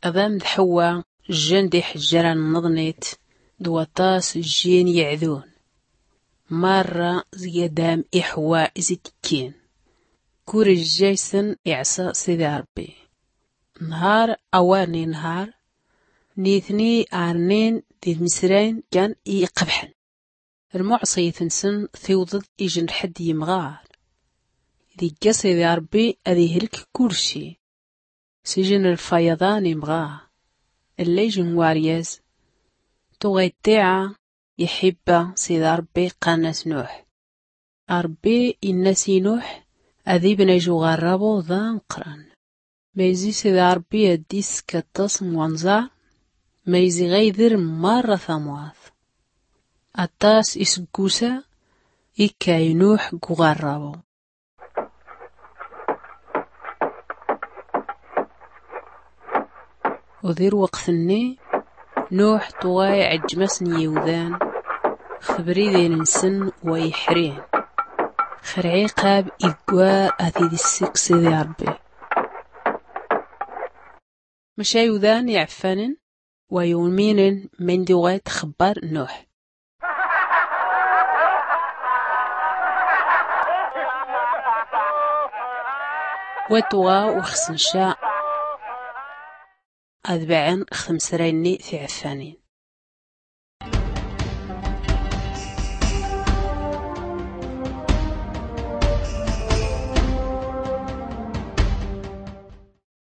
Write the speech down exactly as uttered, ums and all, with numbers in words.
Adam d ḥewwa jjan d iḥjran n ḍnit d waṭas jjin yeɛdun. Marra zgadam iḥewwa izikkin. Kur jjaysen iɛsa sidi ṛebbi. Nhar awar n inhar nitni arnin d imsrayn kan i iqebḥen. Lmuɛṣiyt-nsen tiwḍeḍ ijnrḥ-d yimɣar. Digga sidi ṛebbi ad ihlk kurci. Sijn lfayaḍa n imɣar. Lla ijn waryaz. Tuɣa iṭṭiɛa iḥibba sidi ṛebbi qqarn-as nuḥ. Ṛebbi inna-s i nuḥ ad ibn aju ɣarrabu d ameqqran. Mayzi sidi ṛebbi ad d-iskk aṭas n wanẓar. Mayzi ɣaydr marra tamwaḍt. Aṭas isggusa ikkay nuḥ g uɣarrabu. U di lweqt-nni nuḥ tuɣa iɛǧm-asn yiwdan x tbridin-nsn wa iḥrin. X lɛiqab iggwar ad t-id-issik sidi ṛebbi. Mca iwdan iɛffanen wa yuminen mindi uɣay txbbar nuḥ. Wa tuɣa uxsn ca ad baɛn x tmsrayn-nni tiɛffanin.